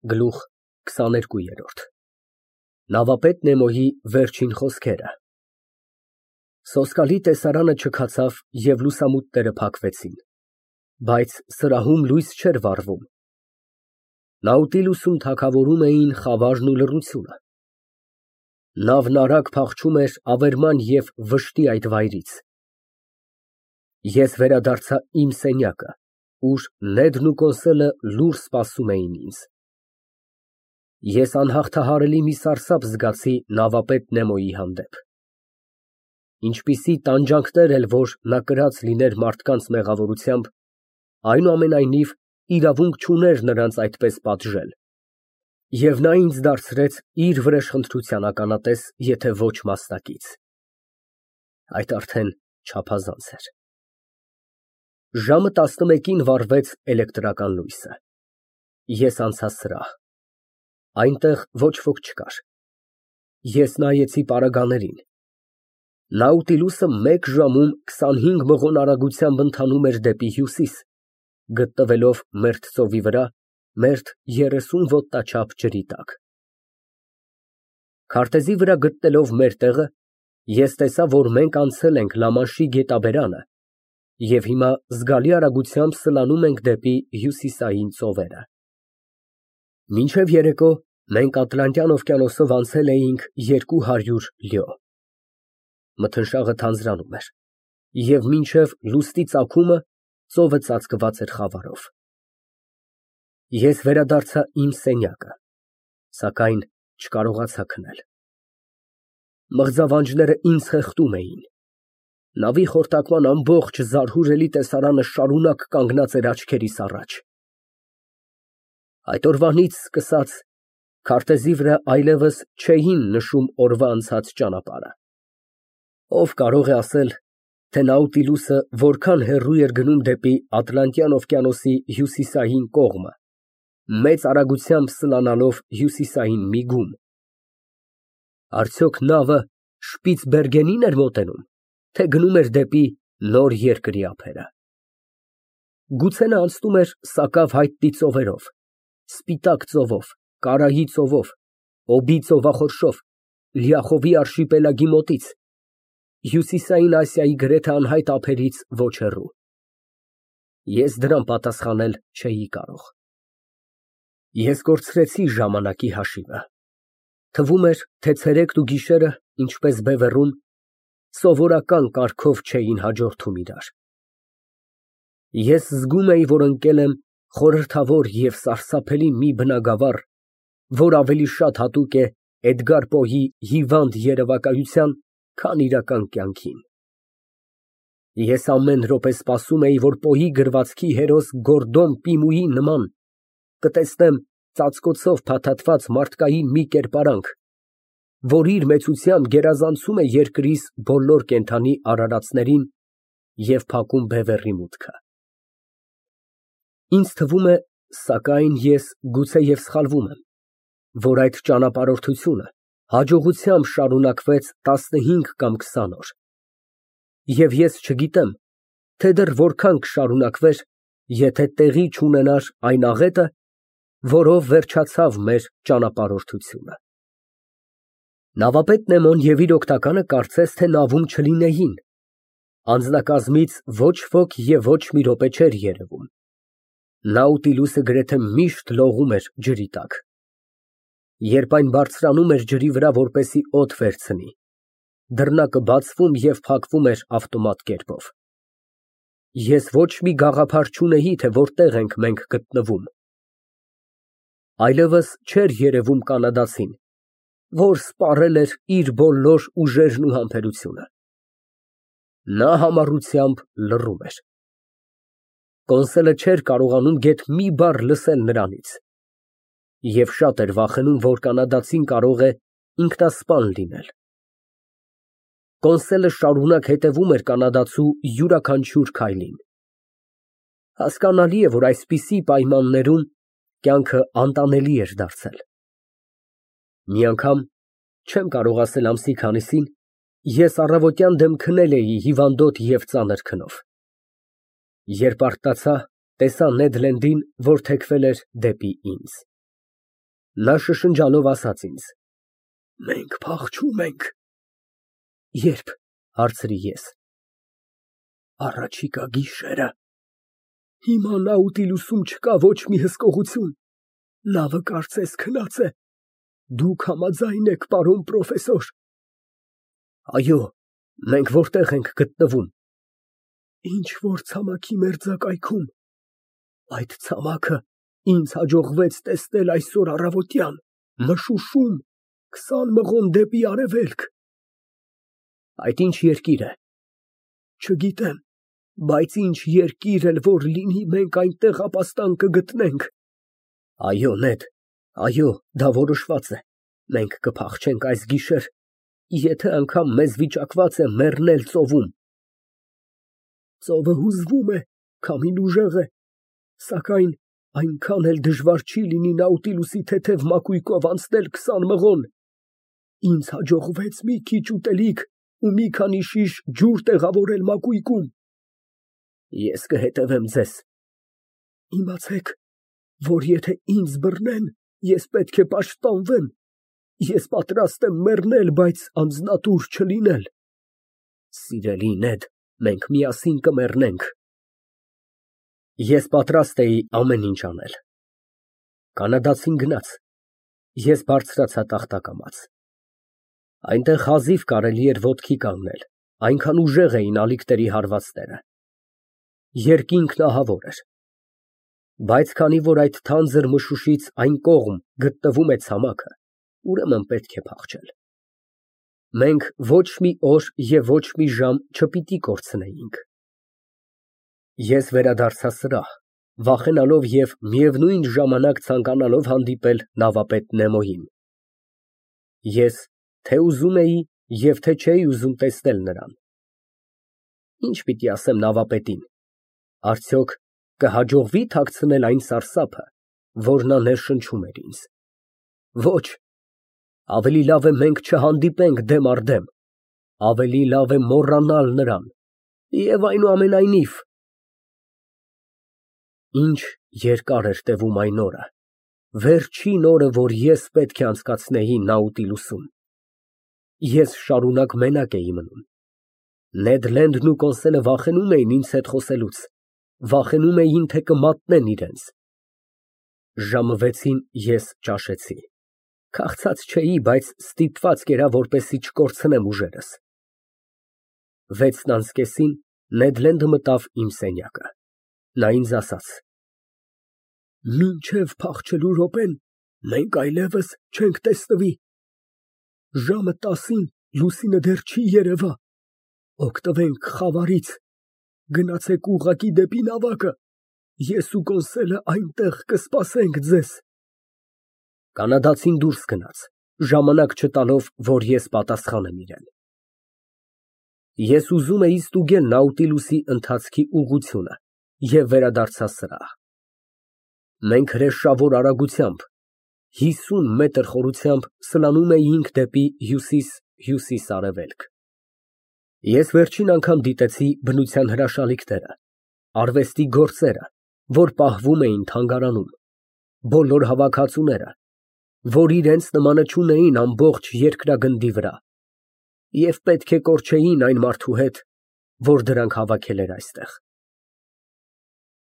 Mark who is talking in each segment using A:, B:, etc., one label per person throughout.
A: Գլուխ քսաներկուերորդ Նավապետ Նեմոյի վերջին խոսքերը Սոսկալի տեսարանը չքացավ և լուսամուտները փակվեցին, բայց սրահում լույս չէր վառվում, Նաուտիլուսում թագավորում էին խավարն ու լռությունը, նավն արագ փախչում էր ավերման և վշտի այդ վայրից, ես վերադարձա իմ սենյակը, ուր Նեդն ու Կոնսելը լուռ սպասում էին ինձ, ես անհաղթահարելի մի սարսափ զգացի նավապետ Նեմոյի հանդեպ, ինչպիսի տանջանքներ էլ որ նա կրած լիներ մարդկանց մեղավորությամբ, այնուամենայնիվ իրավունք չուներ նրանց այդպես պատժել, և նա ինձ դարձրեց իր վրեժխնդրության ականատես, եթե ոչ մասնակից, այդ արդեն չափազանց էր, ժամը 11-ին վառվեց էլեկտրական լույսը, ես անցա սրահ, այնտեղ ոչ ոք չկար, ես նայեցի պարագաներին, Նաուտիլուսը մեկ ժամում 25 մղոն արագությամբ ընթանում էր դեպի հյուսիս, գտնվելով մերթ ծովի վրա, մերթ 30 ոտնաչափ ջրի տակ, քարտեզի վրա գտնելով մեր տեղը, ես տեսա, որ մենք անցել ենք Լամանշի գետաբերանը և հիմա զգալի արագությամբ սլանում ենք դեպի հյուսիսային ծովերը, մինչև երեկո մենք Ատլանտյան օվկիանոսով անցել էինք 200 լյո, մթնշաղը թանձրանում էր, և մինչև լուսնի ծագումը ծովը ծածկված էր խավարով, ես վերադարձա իմ սենյակը, սակայն չկարողացա քնել, մղձավանջները ինձ խեղդում էին, նավի խորտակման ամբողջ զարհուրելի տեսարանը շարունակ կանգնած էր աչքերիս առաջ, այդ օրվանից սկսած քարտեզի վրա այլևս չէին նշում օրվա անցած ճանապարհը, ով կարող է ասել, թե Նաուտիլուսը որքան հեռու էր գնում դեպի Ատլանտյան օվկիանոսի հյուսիսային կողմը, մեծ արագությամբ սլանալով հյուսիսային միգում, արդյոք նավը Շպիցբերգենի՞ն էր մոտենում, թե գնում էր դեպի նոր երկրի ափերը, գուցե նա անցնում էր սակավ հայտնի ծովերով, Սպիտակ ծովով, Կարայի ծովով, Օբի ծովախորշով, Լիախովի արշիպելագի մոտից, Հյուսիսային Ասիայի գրեթե անհայտ ափերից ոչ հեռու, ես դրան պատասխանել չէի կարող, ես կորցրեցի ժամանակի հաշիվը, թվում էր, թե ցերեկն ու գիշերը, ինչպես բևեռում, սովորական կարգով չէին հաջորդում իրար, ես զգում էի, որ ընկել եմ խորհրդավոր և սարսափելի մի բնագավառ, որ ավելի շատ հատուկ է Էդգար Պոյի հիվանդ երևակայության, քան իրական կյանքին, ես ամեն րոպե սպասում էի, որ Պոյի գրվածքի հերոս Գորդոն Պիմուի նման կտեսնեմ ծածկոցով փաթաթված մարդկային մի կերպարանք, որ իր մեծությամբ գերազանցում է երկրիս բոլոր կենդանի արարածներին և փակում բևեռի մուտքը, ինձ թվում է, սակայն ես գուցեև սխալվում եմ, որ այդ ճանապարհորդությունը հաջողությամբ շարունակվեց 15 կամ 20 օր, և ես չգիտեմ, թե դեռ որքան կշարունակվեր, եթե տեղի չունենար այն աղետը, որով վերջացավ մեր ճանապարհորդությունը, նավապետ Նեմոն և իր օգնականը կարծես թե նավում չլինեին, անձնակազմից ոչ ոք և ոչ մի րոպե չէր երևում, Նաուտիլուսը գրեթե միշտ լողում էր ջրի տակ, երբ այն բարձրանում էր ջրի վրա, որպեսզի օդ վերցնի, դռնակը բացվում և փակվում էր ավտոմատ կերպով, ես ոչ մի գաղափար չունեի, թե որտեղ ենք մենք գտնվում, այլևս չէր երևում կանադացին, որ սպառել էր իր բոլոր ուժերն ու համբերությունը, նա համառությամբ լռում էր, Կոնսելը չէր կարողանում գեթ մի բառ լսել նրանից, և շատ էր վախենում, որ կանադացին կարող է ինքնասպան լինել, Կոնսելը շարունակ հետևում էր կանադացու յուրաքանչյուր քայլին, հասկանալի է, որ այսպիսի պայմաններում կյանքը անտանելի էր դարձել, մի անգամ, չեմ կարող ասել ամսի քանիսին, ես առավոտյան դեմ քնել էի հիվանդոտ և ծանր քնով, երբ արթնացա, տեսա Նեդ Լենդին, որ թեքվել էր դեպի ինձ, Նա շշնջալով ասաց ինձ. Մենք փախչում ենք։ Ե՞րբ, հարցրի ես։ Առաջիկա գիշերը։ Հիմա Նաուտիլուսում չկա ոչ մի հսկողություն։ Նավը կարծես քնած է։ Դուք համաձայն եք, պարոն պրոֆեսոր։ Այո, մենք որտեղ ենք գտնվում։ Ինչ որ ցամաքի մերձակայքում։ Այդ ցամաքը ինձ հաջողվեց տեսնել այսօր առավոտյան, մշուշում, 20 մղոն դեպի արևելք։ Այդ ինչ երկիր է։ Չգիտեմ, բայց ինչ երկիր էլ որ լինի, մենք այնտեղ ապաստան կգտնենք։ Այո, Նեդ, այո, դա որոշված է։ Մենք կփախչենք այս գիշեր, եթե անգամ մեզ վիճակված է մեռնել ծովում։ Ծովը հուզվում է, քամին ուժեղ է, սակայն այնքան էլ դժվար չի լինի Նաուտիլուսի թեթև մակույկով անցնել 20 մղոն։ Ինձ հաջողվեց մի քիչ ուտելիք ու մի քանի շիշ ջուր տեղավորել մակույկում։ Ես կհետևեմ ձեզ։ Իմացեք, որ եթե ինձ բռնեն, ես պետք է պաշտպանվեմ։ Ես պատրաստ եմ մեռնել, բայց անձնատուր չլինել։ Սիրելի Նեդ, մենք միասին կմեռնենք։ Ես պատրաստ էի ամեն ինչ անել։ Կանադացին գնաց։ Ես բարձրացա տախտակամած։ Այնտեղ հազիվ կարելի էր ոտքի կանգնել, այնքան ուժեղ էին ալիքների հարվածները։ Երկինքն ահավոր էր։ Բայց քանի որ այդ թանձր մշուշից այն կողմ գտնվում է ցամաքը, ուրեմն պետք է փախչել։ Մենք ոչ մի օր և ոչ մի ժամ չպիտի կորցնեինք։ Ես վերադարձա սրահ, վախենալով և միևնույն ժամանակ ցանկանալով հանդիպել նավապետ Նեմոյին։ Ես թե ուզում էի և թե չէի ուզում տեսնել նրան։ Ինչ պիտի ասեմ նավապետին։ Արդյոք կհաջողվի՞ թաքցնել այն սարսափը, որ նա ներշնչում էր ինձ։ Ոչ, ավելի լավ է մենք չհանդիպենք դեմ առ դեմ, ավելի լավ է մոռանալ նրան, և այնուամենայնիվ… Ինչ երկար էր տևում այն օրը, վերջին օրը, որ ես պետք է անցկացնեի Նաուտիլուսում։ Ես շարունակ մենակ էի մնում։ Նեդ Լենդն ու Կոնսելը վախենում էին ինձ հետ խոսելուց, վախենում էին, թե կմատնեն իրենց։ Ժամը 6-ին ես ճաշեցի։ Քաղցած չէի, բայց ստիպված կերա, որպեսզի չկորցնեմ ուժերս։ 6:30-ին Նեդ Լենդը մտավ իմ սենյակը։ Նա ինձ ասաց. Մինչև փախչելու րոպեն մենք այլևս չենք տեսնվի։ Ժամը 10-ին լուսինը դեռ չի երևա։ Օգտվենք խավարից, գնացեք ուղղակի դեպի նավակը, ես ու Կոնսելը այնտեղ կսպասենք ձեզ։ Կանադացին դուրս գնաց, ժամանակ չտալով, որ ես պատասխանեմ իրեն։ Ես ուզում էի ստուգել Նաուտիլուսի ընթացքի ուղղությունը և վերադարձա սրահ։ Մենք հրեշավոր արագությամբ, 50 մետր խորությամբ սլանում էինք դեպի հյուսիս֊հյուսիս֊արևելք։ Ես վերջին անգամ դիտեցի բնության հրաշալիքները, արվեստի գործերը, որ պահվում էին թանգարանում, բոլոր հավաքածուները, որ իրենց նմանը չունեին ամբողջ երկրագնդի վրա, և պետք է կորչեին այն մարդու հետ, որ դրանք հավաքել էր այստեղ։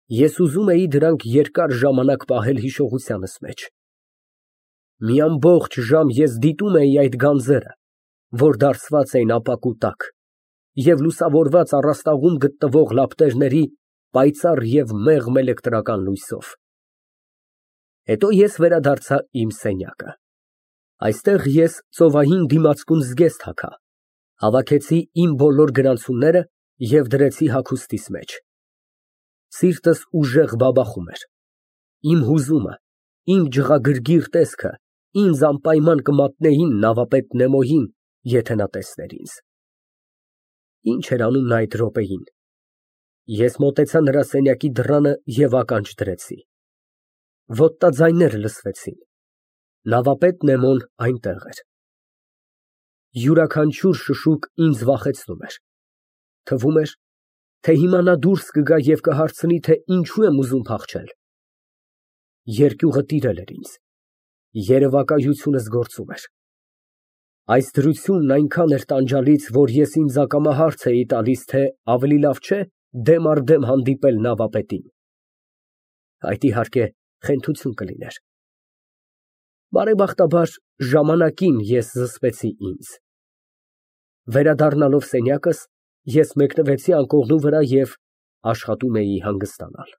A: Ես ուզում էի դրանք երկար ժամանակ պահել հիշողությանս մեջ։ Մի ամբողջ ժամ ես դիտում էի այդ գանձերը, որ դարսված էին ապակու տակ, և լուսավորված առաստաղում գտնվող լապտերների պայծառ և մեղմ էլեկտրական լույսով։ Հետո ես վերադարձա իմ սենյակը։ Այստեղ ես ծովային դիմացկուն զգեստ հագա, հավաքեցի իմ բոլոր գրանցումները և դրեցի հագուստիս մեջ։ Սիրտս ուժեղ բաբախում էր։ Իմ հուզումը, իմ ջղագրգիռ տեսքը ինձ անպայման կմատնեին նավապետ Նեմոյին, եթե նա տեսներ ինձ։ Ինչ էր անում նա այդ րոպեին։ Ես մոտեցա նրա սենյակի դռանը և ականջ դրեցի։ Ոտնաձայներ լսվեցին։ Նավապետ Նեմոն այնտեղ էր։ Յուրաքանչյուր շշուկ ինձ վախեցնում էր։ Թվում էր, թե հիմա նա դուրս կգա և կհարցնի, թե ինչու եմ ուզում փախչել։ Երկյուղը տիրել էր ինձ։ երևակայությունս գործում էր։ Այս դրությունն այնքան էր տանջալից, որ ես ինձ ակամա հարց էի տալիս, թե ավելի լավ չէ դեմ առ դեմ հանդիպել նավապետին։ Այդ իհարկե խենթություն կլիներ։ Բարեբախտաբար ժամանակին ես զսպեցի ինձ։ Վերադառնալով սենյակս, ես մեկնվեցի անկողնու վրա և աշխատում էի հանգստանալ։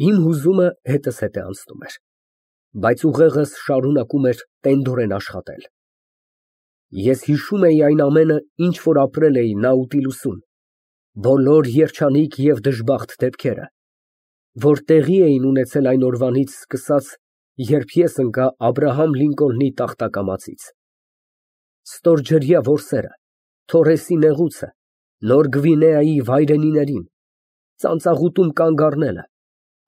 A: Իմ հուզումը հետզհետե հետ անցնում էր, բայց ուղեղս շարունակում էր տենդորեն աշխատել։ Ես հիշում էի այն ամենը, ինչ որ ապրել էի Նաուտիլուսում, բոլոր երջանիկ և դժբախտ դեպքերը, որ տեղի էին ունեցել այն օրվանից սկսած, երբ ես ընկա Աբրահամ Լինկոլնի տախտակամածից։ Ստորջրյա որսերը, Թորեսի նեղուցը, Նոր Գվինեայի վայրենիներին, ծանծաղուտում կանգ առնելը,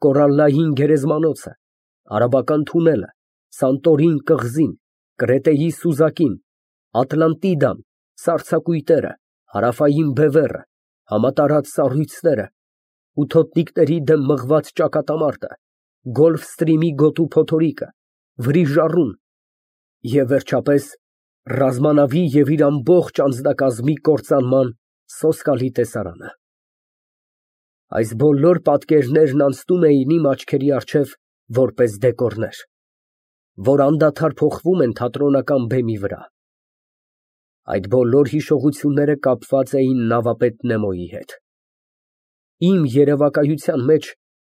A: Կորալլային գերեզմանոցը, Արաբական թունելը, Սանտորին կղզին, Կրետեի սուզակին, Ատլանտիդան, սառցակույտերը, հարավային բևեռը, համատարած սառույցները, ութոտնիկների դեմ մղված ճակատամարտը, Գոլֆստրիմի գոտու փոթորիկը, վրիժառուն և վերջապես ռազմանավի և իր ամբողջ անձնակազմի կործանման սոսկալի տեսարանը։ Այս բոլոր պատկերներն անցնում էին իմ աչքերի առջև որպես դեկորներ, որ անդադար փոխվում են թատրոնական բեմի վրա։ Այդ բոլոր հիշողությունները կապված էին նավապետ Նեմոյի հետ։ Իմ երևակայության մեջ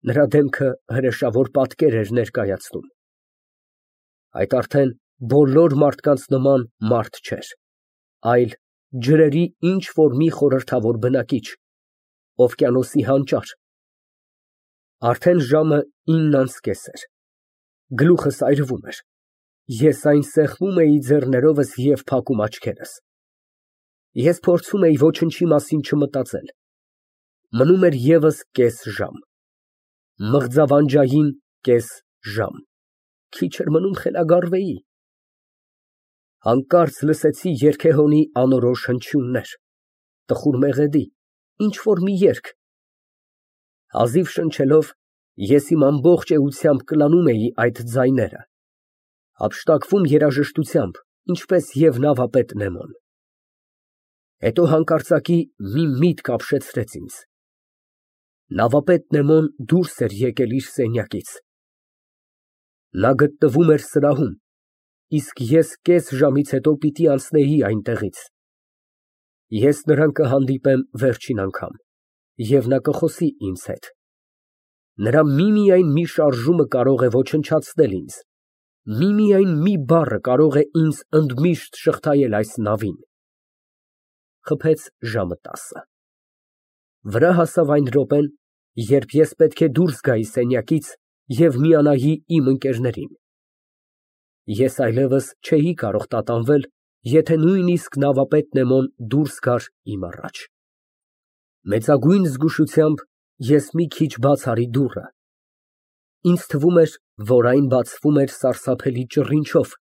A: նրա դեմքը հրեշավոր պատկեր էր ներկայացնում։ Այդ արդեն բոլոր մարդկանց նման մարդ չէր, այլ ջրերի ինչ֊որ մի խորհրդավոր բնակիչ, օվկիանոսի հանճար։ Արդեն ժամը 9:30 էր, գլուխս այրվում էր, ես այն սեղմում էի ձեռներովս և փակում աչքերս։ Ես փորձում էի ոչնչի մասին չմտածել։ Մնում էր ևս կես ժամ, մղձավանջային կես ժամ, քիչ էր մնում խելագարվեի։ Հանկարծ լսեցի երգեհոնի անորոշ հնչյուններ, տխուր մեղեդի, ինչ֊որ մի երգ։ Հազիվ շնչելով, ես իմ ամբողջ էությամբ կլանում էի այդ ձայները, հափշտակվում երաժշտությամբ, ինչպես և նավապետ Նեմոն։ Հետո հանկարծակի մի միտք ապշեցրեց ինձ։ Նավապետ Նեմոն դուրս էր եկել իր սենյակից։ Նա գտնվում էր սրահում, իսկ ես կես ժամից հետո պիտի անցնեի այնտեղից։ Ես նրան կհանդիպեմ վերջին անգամ, և նա կխոսի ինձ հետ։ Նրա միմիայն մի շարժումը կարող է ոչնչացնել ինձ, միմիայն մի բառը կարող է ինձ ընդմիշտ շղթայել այս նավին։ Խփեց ժամը 10։ Վրա հասավ այն րոպեն, երբ ես պետք է դուրս գայի սենյակից և միանայի իմ ընկերներին։ Ես այլևս չէի կարող տատանվել, եթե նույնիսկ նավապետ Նեմոն դուրս գար իմ առաջ։ Մեծագույն զգուշությամբ ես մի քիչ բաց արի դուռը։ Ինձ թվում էր, որ այն բացվում էր սարսափելի ճռինչով։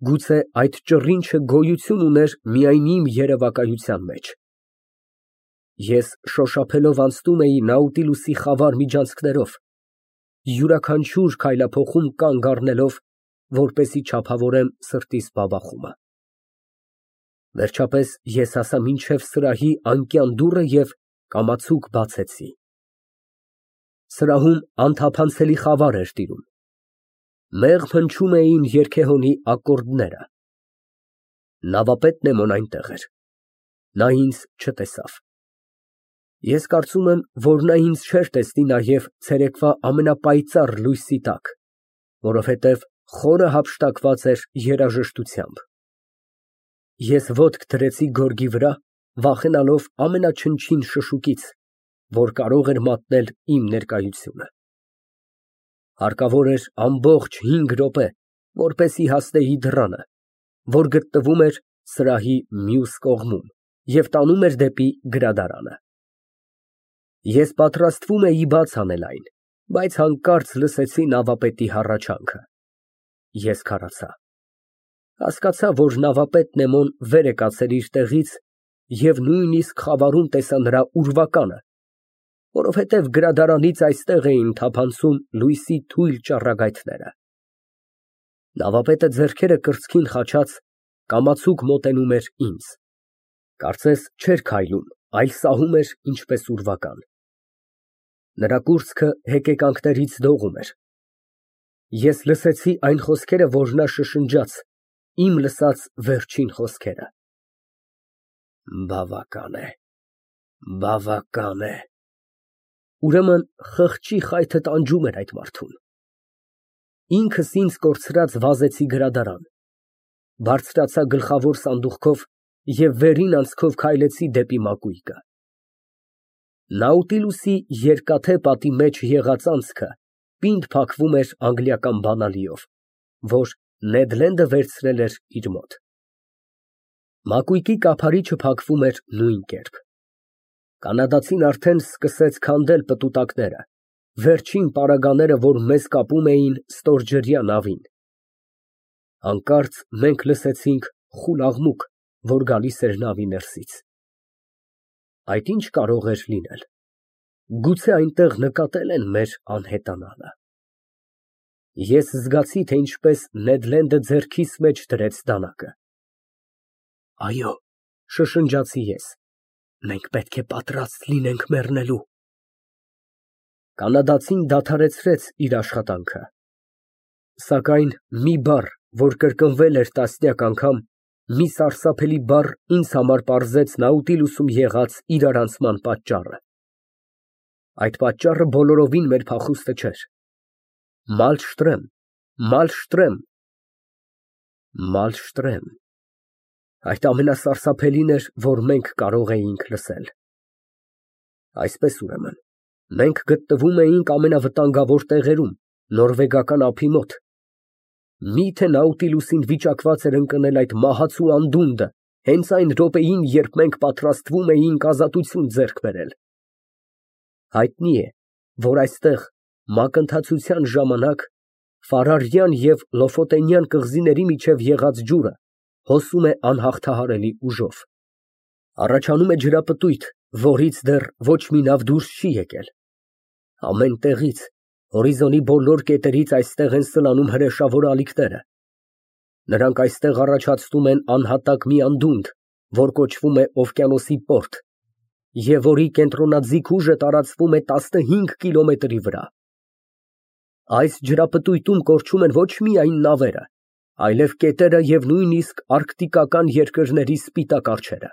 A: Գուցե այդ ճռինչը գոյություն ուներ միայն իմ երևակայության մեջ։ Ես շոշափելով անցնում էի Նաուտիլուսի խավար միջանցքներով, յուրաքանչյուր քայլափոխում կանգ առնելով, որպեսզի չափավորեմ սրտիս բաբախումը։ Վերջապես ես հասա մինչև սրահի անկյան դուռը և կամացուկ բացեցի։ Սրահում անթափանցելի խավար էր տիրում։ Մեղմ հնչում էին երգեհոնի ակորդները։ Նավապետ Նեմոն այնտեղ էր։ Նա ինձ չտեսավ։ Ես կարծում եմ, որ նա ինձ չէր տեսնի նաև ցերեկվա ամենապայծառ լույսի տակ, որովհետև խորը հափշտակված էր երաժշտությամբ։ Ես ոտք դրեցի գորգի վրա, վախենալով ամենաչնչին շշուկից, որ կարող էր մատնել իմ ներկայությունը։ Հարկավոր էր ամբողջ 5 րոպե, որպեսզի հասնեի դռանը, որ գտնվում էր սրահի մյուս կողմում և տանում էր դեպի գրադարանը։ Ես պատրաստվում էի բաց անել այն, բայց հանկարծ լսեցի նավապետի հառաչանքը։ Ես քարացա։ Հասկացա, որ նավապետ Նեմոն վեր է կացել իր տեղից և նույնիսկ խավարում տեսա նրա ուրվականը, որովհետև գրադարանից այստեղ էին թափանցում լույսի թույլ ճառագայթները։ Նավապետը ձեռքերը կրծքին խաչած կամացուկ մոտենում էր ինձ, կարծես չէր քայլում, այլ սահում էր ինչպես ուրվական։ Նրա կուրծքը հեկեկանքներից դողում էր։ Ես լսեցի այն խոսքերը, որ նա շշնջաց, իմ լսած վերջին խոսքերը։ Բավական է, բավական է։ Ուրեմն խղճի խայթը տանջում էր այդ մարդուն։ Ինքս ինձ կորցրած վազեցի գրադարան, բարձրացա գլխավոր սանդուղքով և վերին անցքով քայլեցի դեպի մակույկը։ Նաուտիլուսի երկաթե պատի մեջ եղած անցքը պինդ փակվում էր անգլիական բանալիով, որ Նեդ Լենդը վերցրել էր իր մոտ։ Մակույկի կափարիչը փակվում էր նույն կերպ։ Կանադացին արդեն սկսեց քանդել պտուտակները, վերջին պարագաները, որ մեզ կապում էին ստորջրյա նավին։ Հանկարծ մենք լսեցինք խուլ աղմուկ, որ գալիս էր նավի ներսից։ Այդ ի՞նչ կարող էր լինել։ Գուցե այնտեղ նկատել են մեր անհետանալը։ Ես զգացի, թե ինչպես Նեդ Լենդը ձեռքիս մեջ դրեց դանակը։ Այո, շշնջացի ես, մենք պետք է պատրաստ լինենք մեռնելու։ Կանադացին դադարեցրեց իր աշխատանքը, սակայն մի բառ, որ կրկնվել էր տասնյակ անգամ, մի սարսափելի բառ ինձ համար պարզեց Նաուտիլուսում եղած իրարանցման պատճառը։ Այդ պատճառը բոլորովին մեր փախուստը չէր։ Մալշտրեմ, Մալշտրեմ, Մալշտրեմ։ Այդ ամենասարսափելին էր, որ մենք կարող էինք լսել։ Այսպես ուրեմն, մենք գտնվում էինք ամենավտանգավոր տեղերում, նորվեգական ափի մոտ։ Մի՞թե Նաուտիլուսին վիճակված էր ընկնել այդ մահացու անդունդը հենց այն րոպեին, երբ մենք պատրաստվում էինք ազատություն ձեռք բերել։ Հայտնի է, որ այստեղ մակընթացության ժամանակ Ֆարարյան և Լոֆոտենյան կղզիների միջև եղած ջուրը հոսում է անհաղթահարելի ուժով։ Առաջանում է ջրապտույտ, որից դեռ ոչ մի նավ դուրս չի եկել։ Ամեն տեղից, հորիզոնի բոլոր կետերից այստեղ են սլանում հրեշավոր ալիքները։ Նրանք այստեղ առաջացնում են անհատակ մի անդունդ, որ կոչվում է Օվկիանոսի պորտ, և որի կենտրոնաձիգ ուժը տարածվում է 15 կիլոմետրի վրա։ Այս ջրապտույտում կորչում են ոչ միայն նավերը, այլև կետերը և նույնիսկ արկտիկական երկրների սպիտակ արջերը։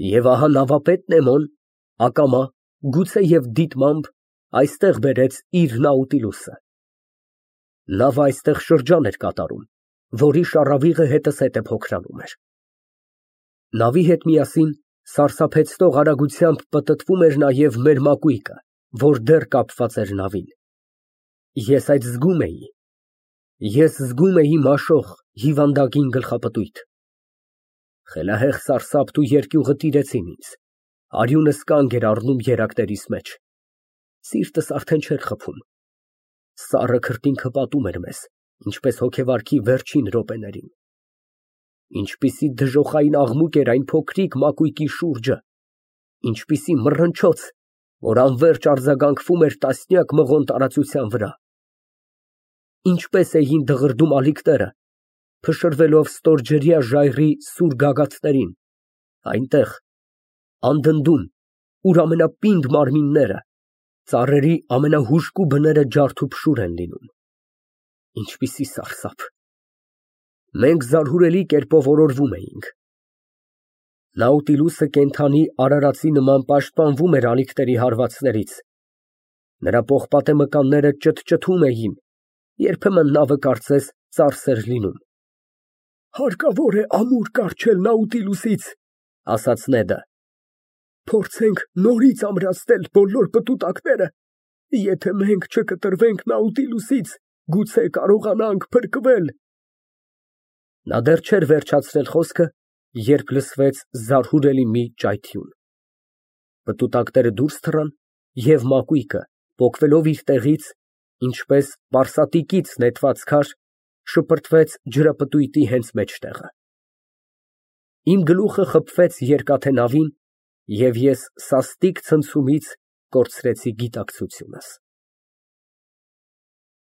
A: Եվ ահա նավապետ Նեմոն ակամա, գուցեև դիտմամբ, այստեղ բերեց իր Նաուտիլուսը։ Նավը այստեղ շրջան էր կատարում, որի շառավիղը հետզհետե փոքրանում էր։ Նավի հետ միասին սարսափեցնող արագությամբ պտտվում էր նաև մեր մակույկը, որ դեռ կապված էր նավին։ Ես այդ զգում էի։ Ես զգում էի մաշող, հիվանդագին գլխապտույտ։ Խելահեղ սարսափն ու երկյուղը տիրեցին ինձ, արյունս կանգ էր առնում երակներիս մեջ։ Սիրտս արդեն չէր խփում։ Սառը քրտինքը պատում էր մեզ, ինչպես հոգեվարքի վերջին րոպեներին։ Ինչպիսի դժոխային աղմուկ էր այն փոքրիկ մակույկի շուրջը, ինչպիսի մռնչոց, որ անվերջ արձագանքվում էր տասնյակ մղոն տարածության վրա։ Ինչպես էին դղրդում ալիքները, փշրվելով ստորջրյա ժայռի սուր գագաթներին, այնտեղ, անդնդում, ուր ամենապինդ մարմինները, ծառերի ամենահուժկու բները ջարդուփշուր են լինում։ Ինչպիսի սարսափ։ Մենք զարհուրելի կերպով օրորվում էինք։ Նաուտիլուսը կենդանի արարածի նման պաշտպանվում էր ալիքների հարվածներից։ Նրա պողպատե մկանները ճթճթում էին, երբեմն նավը կարծես ծարս էր լինում։ Հարկավոր է ամուր կառչել Նաուտիլուսից, ասաց Նեդը։ Փորձենք նորից ամրացնել բոլոր պտուտակները, եթե մենք չկտրվենք Նաուտիլուսից, գուցե կարողանանք փրկվել։ Նա դեռ չէր վերջացրել խոսքը, երբ լսվեց զարհուրելի մի ճայթյուն։ Պտուտակները դուրս թռան, և մակույկը, պոկվելով իր տեղից, ինչպես պարսատիկից նետված քար, շպրտվեց ջրապտույտի հենց մեջտեղը։ Իմ գլուխը խփվեց երկաթե նավին, և ես սաստիկ ցնցումից կորցրեցի գիտակցությունս։